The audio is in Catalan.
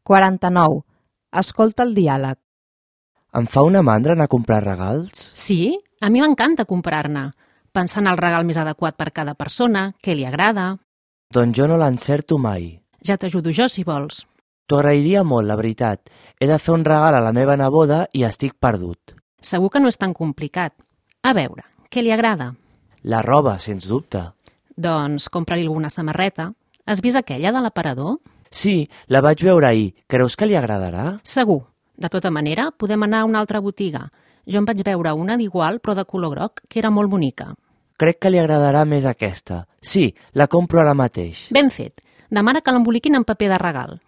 49. Escolta el diàleg. Em fa una mandra anar a comprar regals? Sí, a mi m'encanta comprar-ne. Pensar en el regal més adequat per cada persona, què li agrada... Doncs jo no l'encerto mai. Ja t'ajudo jo, si vols. T'ho agrairia molt, la veritat. He de fer un regal a la meva neboda i estic perdut. Segur que no és tan complicat. A veure, què li agrada? La roba, sens dubte. Doncs compra-li alguna samarreta. Has vist aquella de l'aparador? Sí, la vaig veure ahir. Creus que li agradarà? Segur. De tota manera, podem anar a una altra botiga. Jo em vaig veure una d'igual, però de color groc, que era molt bonica. Crec que li agradarà més aquesta. Sí, la compro ara mateix. Ben fet. Demana que l'emboliquin en paper de regal.